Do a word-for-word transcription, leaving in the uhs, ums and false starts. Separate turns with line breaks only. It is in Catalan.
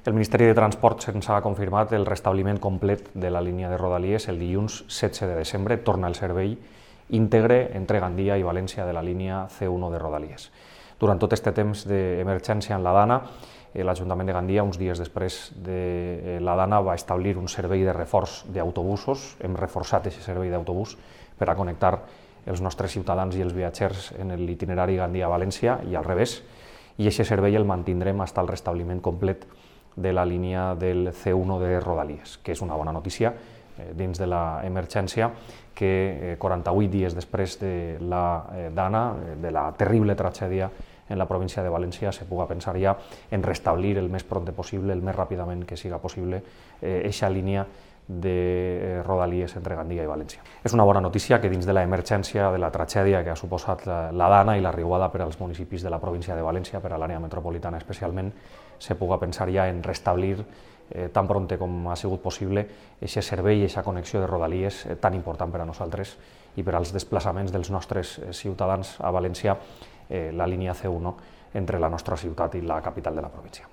El Ministeri de Transports ens ha confirmat el restabliment complet de la línia de Rodalies el dilluns setze de desembre. Torna el servei íntegre entre Gandia i València de la línia C u de Rodalies. Durant tot aquest temps d'emergència en la Dana, l'Ajuntament de Gandia, uns dies després de la Dana, va establir un servei de reforç d'autobusos. Hem reforçat aquest servei d'autobús per a connectar els nostres ciutadans i els viatgers en l'itinerari Gandia-València i al revés, i aquest servei el mantindrem fins al restabliment complet de la línia del C u de Rodalies, que és una bona notícia dins de l'emergència, que quaranta-vuit dies després de la Dana, de la terrible tragèdia en la província de València, se puga pensar ja en restablir el més pront possible, el més ràpidament que siga possible, aquesta línia de Rodalies entre Gandia i València. És una bona notícia que dins de l'emergència, de la tragèdia que ha suposat la Dana i la riuada per als municipis de la província de València, per a l'àrea metropolitana especialment, se puga pensar ja en restablir tan pront com ha sigut possible aquest servei i aquesta connexió de Rodalies tan important per a nosaltres i per als desplaçaments dels nostres ciutadans a València, la línia C u entre la nostra ciutat i la capital de la província.